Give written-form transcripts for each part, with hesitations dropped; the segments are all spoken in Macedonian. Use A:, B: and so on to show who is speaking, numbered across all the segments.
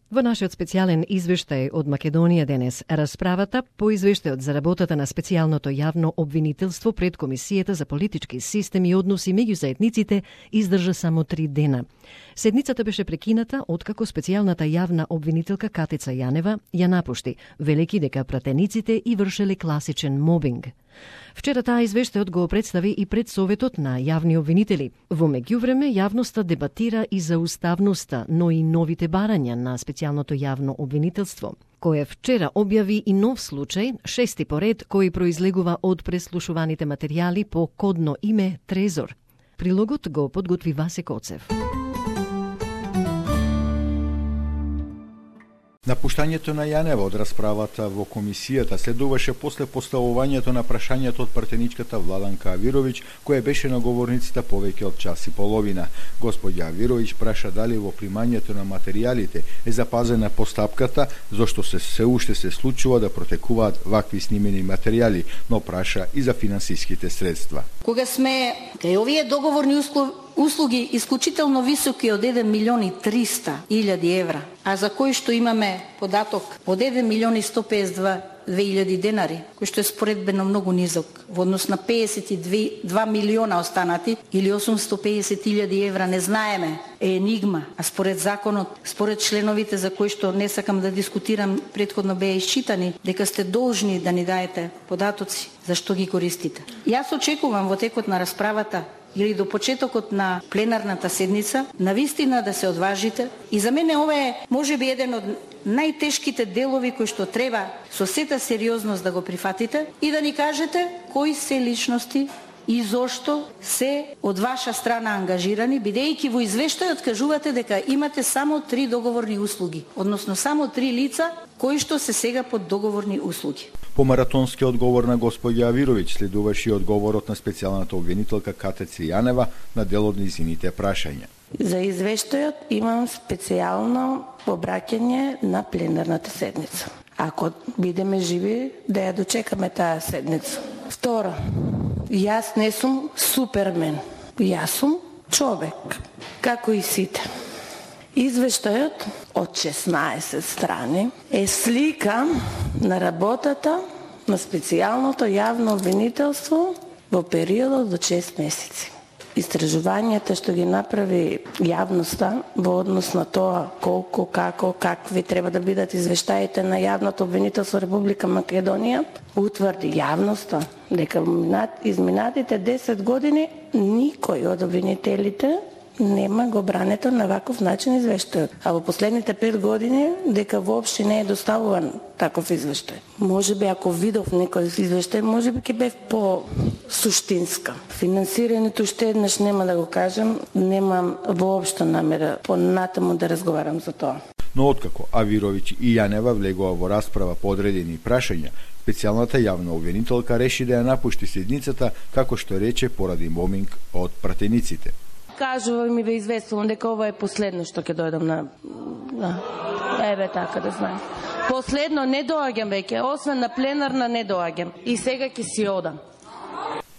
A: Во нашиот специјален извештај од Македонија денес, расправата по извештајот за работата на специјалното јавно обвинителство пред Комисијата за политички системи и односи меѓу заедниците издржа само 3 дена. Седницата беше прекината откако специјалната јавна обвинителка Катица Јанева ја напушти, велики дека пратениците и вршеле класичен мобинг. Вчера таа извештајот го представи и пред Советот на јавни обвинители. Во меѓувреме, јавноста дебатира и за уставноста, но и новите барања на специјалното јавно обвинителство, кое вчера објави и нов случај, 6ти поред, кој произлегува од преслушуваните материјали по кодно име Трезор. Прилогот го подготви Васе Коцев.
B: Напуштањето на Јанева од расправата во комисијата следуваше после поставувањето на прашањето од пратеничката Владанка Авировиќ, која беше на говорницата повеќе од час и половина. Господја Авировиќ праша дали во примањето на материјалите е запазена постапката, зашто се уште се случува да протекуваат вакви снимени материјали, но праша и за финансиските средства.
C: Кога сме кај овие договорни услуги исклучително високи од 1.300.000 евра, а за кои што имаме податок од 1.152.000 денари, кој што е споредбено многу низок во однос на 52 милиона останати или 850.000 евра не знаеме, е енигма, а според законот, според членовите за кои што не сакам да дискутирам, претходно беа исчитани, дека сте должни да ни даете податоци, зашто ги користите. Јас очекувам во текот на расправата или до почетокот на пленарната седница, навистина да се одважите. И за мене ова е можеби еден од најтешките делови кои што треба со сета сериозност да го прифатите и да ни кажете кои се личности и зошто се од ваша страна ангажирани, бидејќи во извештајот кажувате дека имате само 3 договорни услуги, односно само 3 лица кои што се сега под договорни услуги.
B: По маратонскиот одговор на господја Авировиќ следуваше и одговорот на специјалната обвинителка Катица Јанева на дел од низините прашања.
D: За извештајот имам специјално обраќање на пленарната седница. Ако бидеме живи, да ја дочекаме таа седница. Второ, јас не сум супермен. Јас сум човек, како и сите. Извештајот од 16 страни е слика на работата на специјалното јавно обвинителство во периодот до 6 месеци. Истражувањата што ги направи јавноста во однос на тоа колку, како, какви треба да бидат извештаите на јавното обвинителство Република Македонија, утврди јавноста дека изминатите 10 години никој од обвинителите нема го брането на ваков начин извештајот. А во последните 5 години дека воопшто не е доставуван таков извештај. Можеби ако видов некој извештај, можеби ќе бев по суштинска. Финансирањето уште еднаш нема да го кажам, немам воопшто намера понатаму да разговарам за тоа.
B: Но откако Авировиќ и Јанева влегува во расправа по одредени прашања, специјалната јавна обвинителка реши да ја напушти седницата, како што рече, поради мобинг од пратениците.
D: Кажувам и ве известувам дека ова е последно што ќе дојдам на... Еве така да знаеш. Последно не доаѓам веќе, освен на пленарна не доаѓам. И сега ќе си одам.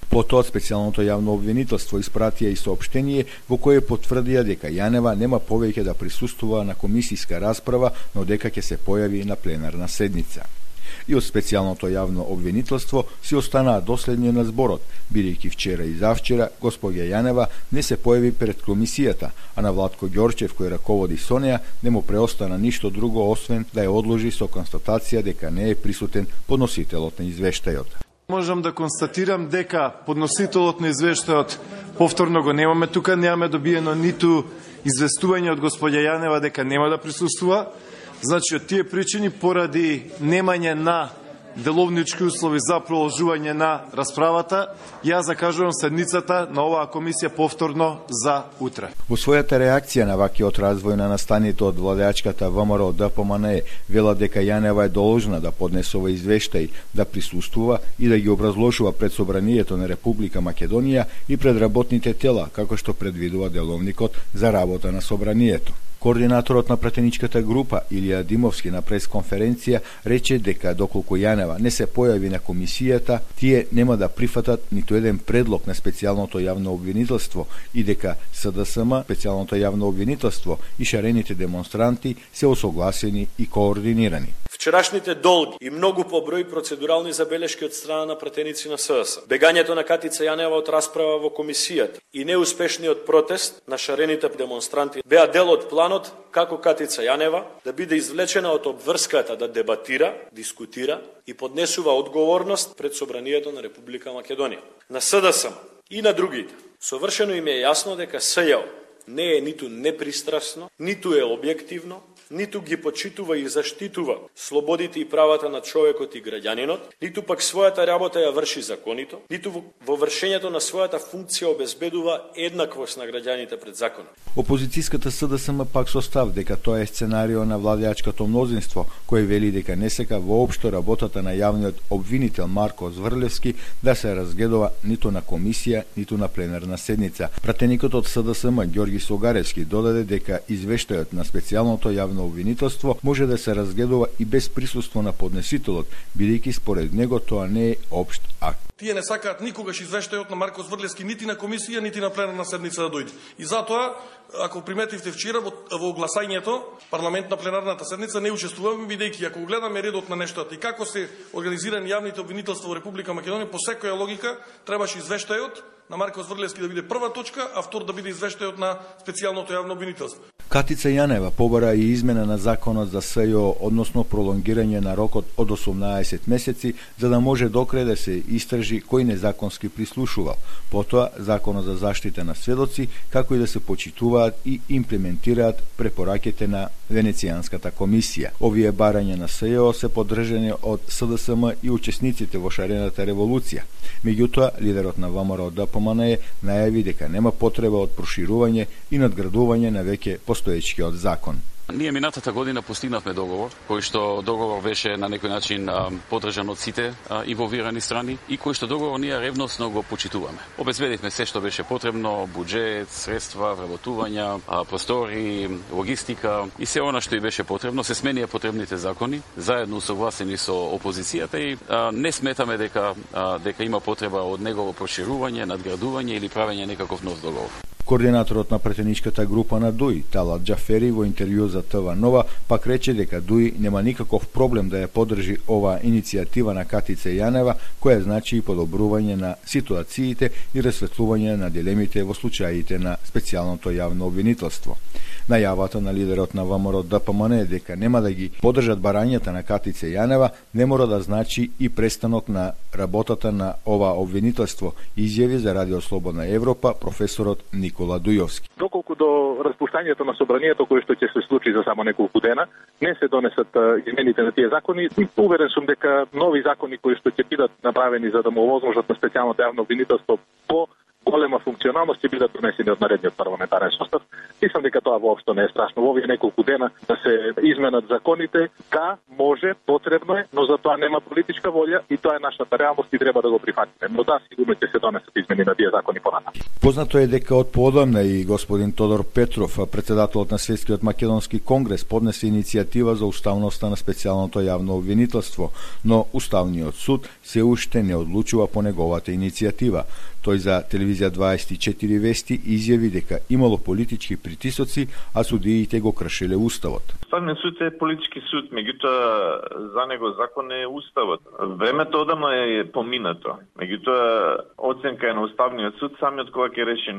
B: Потоа специјалното јавно обвинителство испратија и соопштение во кое потврдија дека Јанева нема повеќе да присуствува на комисијска расправа, но дека ќе се појави на пленарна седница. И од специјалното јавно обвинителство си останаа доследни на зборот, бидејќи вчера и завчера господја Јанева не се појави пред комисијата, а на Владко Ѓорчев, кој раководи со неа, не му преостана ништо друго освен да ја одложи со констатација дека не е присутен подносителот на извештајот.
E: Можам да констатирам дека подносителот на извештајот повторно го немаме тука, немаме добиено ниту известување од господја Јанева дека нема да присуствува. Значи, од тие причини, поради немање на деловнички услови за продолжување на расправата, ја закажувам седницата на оваа комисија повторно за утре.
B: Во својата реакција на вакиот развој на настаните од владеачката ВМРО ДПМНЕ вела дека Јанева е должна да поднесува извештај, да присуствува и да ги образложува пред Собранието на Република Македонија и пред работните тела, како што предвидува деловникот за работа на Собранието. Координаторот на пратеничката група Илија Димовски на пресконференција рече дека доколку Јанева не се појави на комисијата, тие нема да прифатат ниту еден предлог на специјалното јавно обвинителство и дека СДСМ, специјалното јавно обвинителство и шарените демонстранти се осогласени и координирани.
F: Вчерашните долги и многу поброј процедурални забелешки од страна на пратеници на СДС, бегањето на Катица Јанева од расправа во комисијата и неуспешниот протест на шарените демонстранти беа дел од планот како Катица Јанева да биде извлечена од обврската да дебатира, дискутира и поднесува одговорност пред Собранието на Република Македонија. На СДСМ и на другите совршено им е јасно дека СЈО не е ниту непристрасно, ниту е објективно, ниту ги почитува и заштитува слободите и правата на човекот и граѓанинот, ниту пак својата работа ја врши законито, ниту во вршењето на својата функција обезбедува еднаквост на граѓаните пред законот.
B: Опозицијската СДСМ пак со став дека тоа е сценарио на владеачкото мнозинство, кој вели дека не сека воопшто работата на јавниот обвинител Марко Зврлевски да се разгледува ниту на комисија, ниту на пленарна седница. Пратеникот од СДСМ Ѓорги Согаревски додаде дека извештајот на специјалното јавно обвинителство може да се разгледува и без присуство на поднесителот, бидејќи според него тоа не е општ акт.
G: Тие не сакаат никогаш извештајот на Марко Зврлевски нити на комисија, нити на пленарна седница да дојде. И затоа, ако приметивте вчера во гласањето, парламент на пленарната седница не учествуваме, бидејќи ако гледаме редот на нештата и како се организирани јавните обвинителства во Република Македонија, по секоја логика требаше извештајот на Марко Зврлевски да биде прва точка, а втор да биде извештајот на специјалното јавно обвинителство.
B: Катица Јанева побара и измена на законот за СЈО, односно пролонгирање на рокот од 18 месеци, за да може докрај да се истражи кој незаконски прислушувал. Потоа, законот за заштита на сведоци, како и да се почитуваат и имплементираат препораките на Венецијанската комисија. Овие барања на СЈО се поддржани од СДСМ и учесниците во шарената револуција. Меѓутоа, лидерот на ВМРО ДПМН најави дека нема потреба од проширување и надградување на веќе постоечкиот закон.
H: Ние минатата година постигнавме договор, кој што договор беше на некој начин поддржан од сите инволвирани страни и кој што договор ние ревносно го почитуваме. Обезбедивме се што беше потребно, буџет, средства, вработувања, простори, логистика и се она што и беше потребно, се сменија потребните закони, заедно согласени со опозицијата и не сметаме дека има потреба од негово проширување, надградување или правење некаков нов договор.
B: Координаторот на пратеничката група на ДУИ, Талат Џафери, во интервју за ТВ Нова, пак рече дека ДУИ нема никаков проблем да ја поддржи оваа иницијатива на Катица Јанева, која значи и подобрување на ситуациите и расветлување на дилемите во случаите на специјалното јавно обвинителство. Најавата на лидерот на ВМРО ДПМН дека нема да ги поддржат барањата на Катица Јанева не мора да значи и престанок на работата на ова обвинителство, изјави за Радио Слободна Европа професорот Никола Дујовски.
I: Доколку до распуштањето на собранието кој што ќе се случи за само неколку дена, не се донесат измените на тие закони, уверен сум дека нови закони кои што ќе бидат направени за да му овозможат на специјалното јавно обвинителство по голема функционалност ќе бидат донесени од наредниот парламентарен состав. Мислам дека тоа воопшто не е страшно. Во овие неколку дена да се изменат законите, да, може, потребно е, но за тоа нема политичка волја и тоа е нашата реалност и треба да го прифатиме. Но да, сигурно ќе се донесат измени на тие закони понатаму.
B: Познато е дека од поодамна и господин Тодор Петров, председателот на Светскиот македонски конгрес, поднесе иницијатива за уставноста на специјалното јавно обвинителство, но Уставниот суд се уште не одлучува по неговата иницијатива. Тој за телевизија 24 вести изјави дека имало политички притисоци, а судиите го кршеле уставот.
J: Уставниот суд е политички суд, меѓутоа за него закон е уставот. Времето одамна е поминато. Меѓутоа оценка е на Уставниот суд самиот кога ќе реши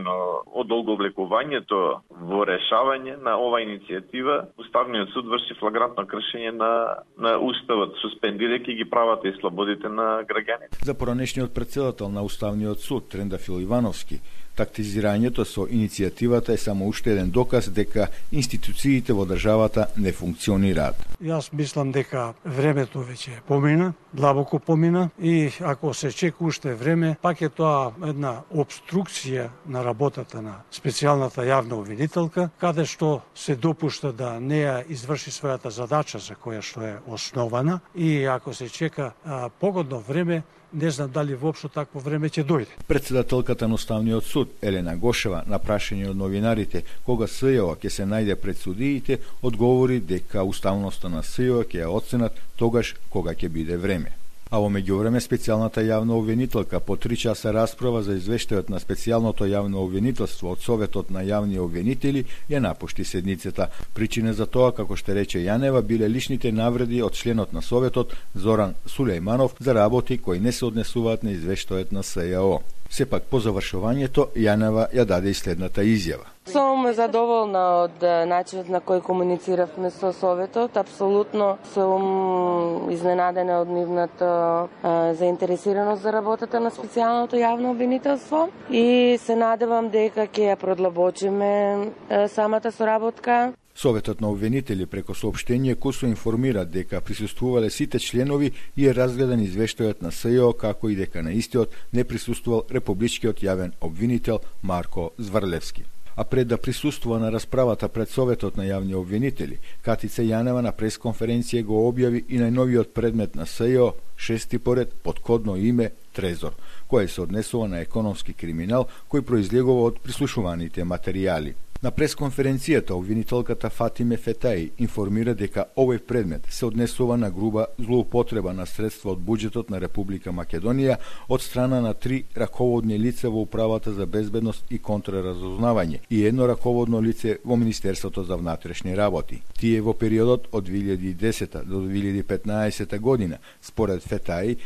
J: одолговлекувањето во решавање на ова иницијатива. Уставниот суд врши флагрантно кршење на уставот, суспендирајќи ги правата и слободите на граѓаните.
B: За поранешниот председател на Уставниот суд Трендафил Ивановски, тактизирањето со иницијативата е само уште еден доказ дека институциите во државата не функционираат.
K: Јас мислам дека времето веќе помина, длабоко помина и ако се чека уште време, пак е тоа една обструкција на работата на специјалната јавна обвинителка, каде што се допушта да не ја изврши својата задача за која што е основана и ако се чека погодно време, не знам дали воопшто такво време ќе дојде.
B: Председателката на Уставниот суд суд, Елена Гошева, на прашање од новинарите кога СЈО ќе се најде пред судиите, одговори дека уставноста на СЈО ќе ја оценат тогаш кога ќе биде време. А во меѓувреме специјалната јавна обвинителка по 3 часа расправа за извештајот на специјалното јавно обвинителство од Советот на јавни обвинители ја напушти седницата. Причина за тоа, како што рече Јанева, биле личните навреди од членот на Советот Зоран Сулејманов за работи кои не се однесуваат на извештајот на СЈО. Сепак по завршувањето Јанева ја даде и следната изјава.
D: Сум задоволна од начинот на кој комунициравме со Советот. Апсолутно сум изненадена од нивната заинтересираност за работата на специјалното јавно обвинителство и се надевам дека ќе ја продлабочиме самата соработка.
B: Советот на обвинители преко соопштение КУСО информира дека присуствувале сите членови и е разгледан извештајот на СЈО, како и дека на истиот не присуствувал републичкиот јавен обвинител Марко Зврлевски. А пред да присуствува на расправата пред Советот на јавни обвинители, Катица Јанева на пресконференција го објави и најновиот предмет на СЈО, 6 поред под кодно име Трезор, кој се однесува на економски криминал кој произлегува од прислушуваните материјали. На пресконференцијата обвинителката Фатиме Фетаи информира дека овој предмет се однесува на груба злоупотреба на средства од буџетот на Република Македонија од страна на 3 раководни лица во Управата за безбедност и контраразузнавање и едно раководно лице во Министерството за внатрешни работи. Тие во периодот од 2010 до 2015 година, според Фетаи,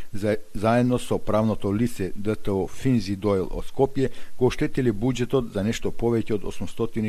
B: заедно со правното лице ДТО Финзи Дойл од Скопје, го оштетили буџетот за нешто повеќе од 862.000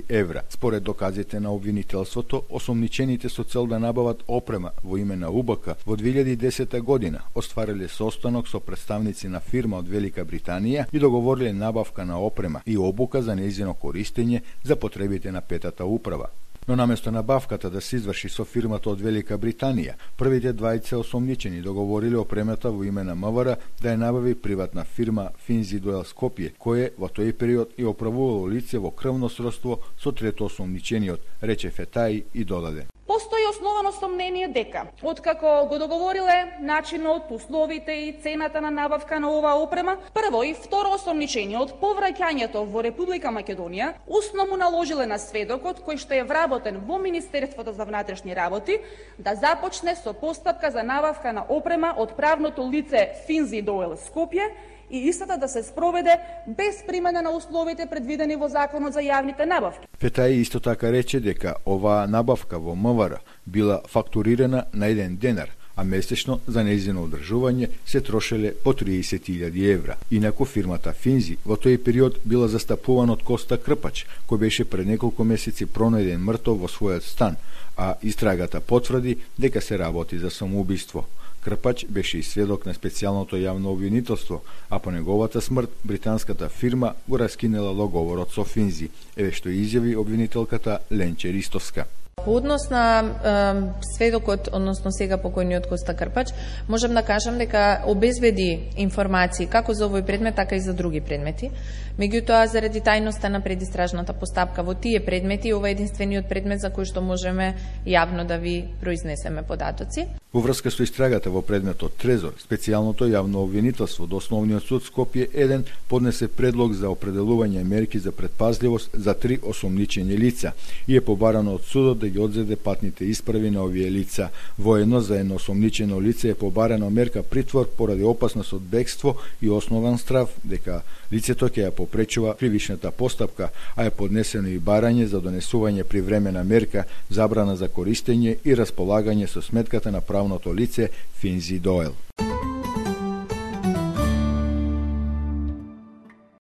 B: евра. Според доказите на обвинителството, осомничените со цел да набават опрема во име на УБК во 2010 година оствариле состанок со представници на фирма од Велика Британија и договориле набавка на опрема и обука за нејзино користење за потребите на петата управа. Но наместо набавката да се изврши со фирмата од Велика Британија, првите двајца осомничени договориле опремата во име на МВР да ја набави приватна фирма Финзи Дойл Скопје, кое во тој период и оправувало лице во крвно сродство со трето осомничениот, рече Фетаи и додаде.
L: Постои основано сомнение дека, откако го договориле начинот, условите и цената на набавка на оваа опрема, прво и второ осомничениот по враќањето во Република Македонија усно му наложиле на сведокот кој што е вработен во Министерството за внатрешни работи да започне со постапка за набавка на опрема од правното лице Финзи Дойл Скопје и истата да се спроведе без примена на условите предвидени во Законот за јавните набавки.
B: Фетаи исто така рече дека оваа набавка во МВР била фактурирана на 1 денар, а месечно за нејзино одржување се трошеле по 30.000 евра. Инаку фирмата Финзи во тој период била застапувана од Коста Крпач, кој беше пред неколку месеци пронајден мртов во својот стан, а истрагата потврди дека се работи за самоубиство. Крпач беше и сведок на специјалното јавно обвинителство, а по неговата смрт британската фирма го раскинела договорот со Финзи, еве што изјави обвинителката Ленче Ристовска.
M: По однос на сведокот, односно сега покојниот Коста Крпач, можам да кажам дека обезбеди информации како за овој предмет, така и за други предмети. Меѓутоа, заради тајноста на предистражната постапка во тие предмети, ова е единствениот предмет за кој што можеме јавно да ви произнесеме податоци.
B: Во врска со истрагата во предметот Трезор, специјалното јавно обвинителство до Основниот суд Скопје 1 поднесе предлог за определување мерки за предпазливост за 3 осомничени лица и е побарано од судот да ги одзеде патните исправи на овие лица. Воедно за едно осомничено лице е побарано мерка притвор поради опасност од бегство и основан страв дека лицето ќе ја попречува кривичната постапка, а е поднесено и барање за донесување привремена мерка, забрана за користење и располагање со сметката на правното лице Финзи Дойл.